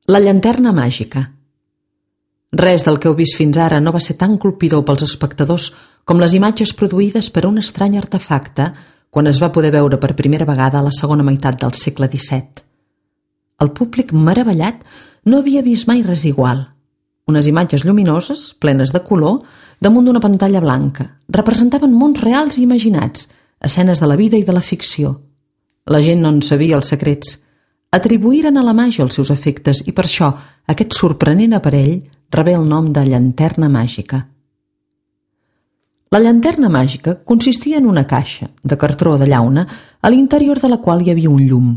La llanterna màgica. Res del que heu vist fins ara no va ser tan colpidor pels espectadors com les imatges produïdes per un estrany artefacte quan es va poder veure per primera vegada a la segona meitat del segle XVII. El públic, meravellat, no havia vist mai res igual. Unes imatges lluminoses, plenes de color, damunt d'una pantalla blanca, representaven mons reals i imaginats, escenes de la vida i de la ficció. La gent no en sabia els secrets. Atribuïren a la màgia els seus efectes i per això aquest sorprenent aparell rebé el nom de llanterna màgica. La llanterna màgica consistia en una caixa de cartró o de llauna a l'interior de la qual hi havia un llum.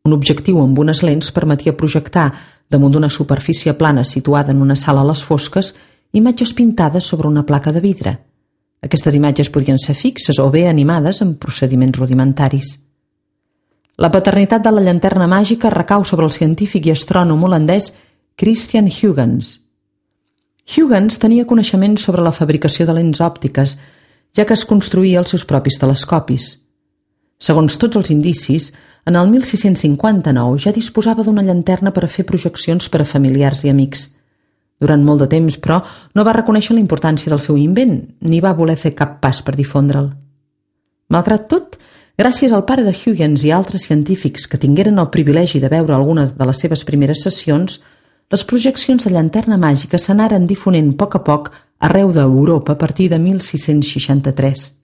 Un objectiu amb unes lents permetia projectar damunt d'una superfície plana situada en una sala a les fosques imatges pintades sobre una placa de vidre. Aquestes imatges podien ser fixes o bé animades amb procediments rudimentaris. La paternitat de la llanterna màgica recau sobre el científic i astrònom holandès Christian Huygens. Huygens tenia coneixement sobre la fabricació de lents òptiques, ja que es construïa els seus propis telescopis. Segons tots els indicis, en el 1659 ja disposava d'una llanterna per a fer projeccions per a familiars i amics. Durant molt de temps, però, no va reconèixer la importància del seu invent, ni va voler fer cap pas per difondre'l. Malgrat tot, gràcies al pare de Huygens i altres científics que tingueren el privilegi de veure algunes de les seves primeres sessions, les projeccions de llanterna màgica s'anaren difonent a poc arreu d'Europa a partir de 1663.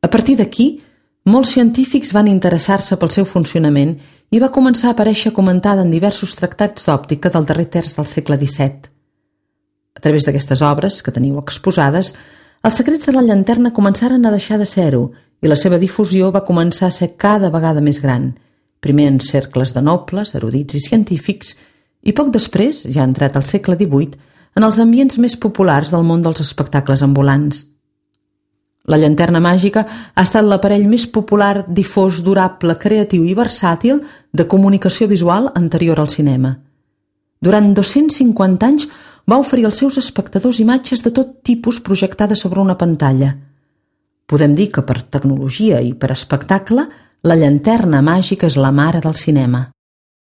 A partir d'aquí, molts científics van interessar-se pel seu funcionament i va començar a aparèixer comentada en diversos tractats d'òptica del darrer terç del segle XVII. A través d'aquestes obres, que teniu exposades, els secrets de la llanterna començaren a deixar de ser-ho i la seva difusió va començar a ser cada vegada més gran, primer en cercles de nobles, erudits i científics, i poc després, ja entrat al segle XVIII, en els ambients més populars del món dels espectacles ambulants. La llanterna màgica ha estat l'aparell més popular, difós, durable, creatiu i versàtil de comunicació visual anterior al cinema. Durant 250 anys va oferir als seus espectadors imatges de tot tipus projectades sobre una pantalla. Podem dir que per tecnologia i per espectacle, la llanterna màgica és la mare del cinema.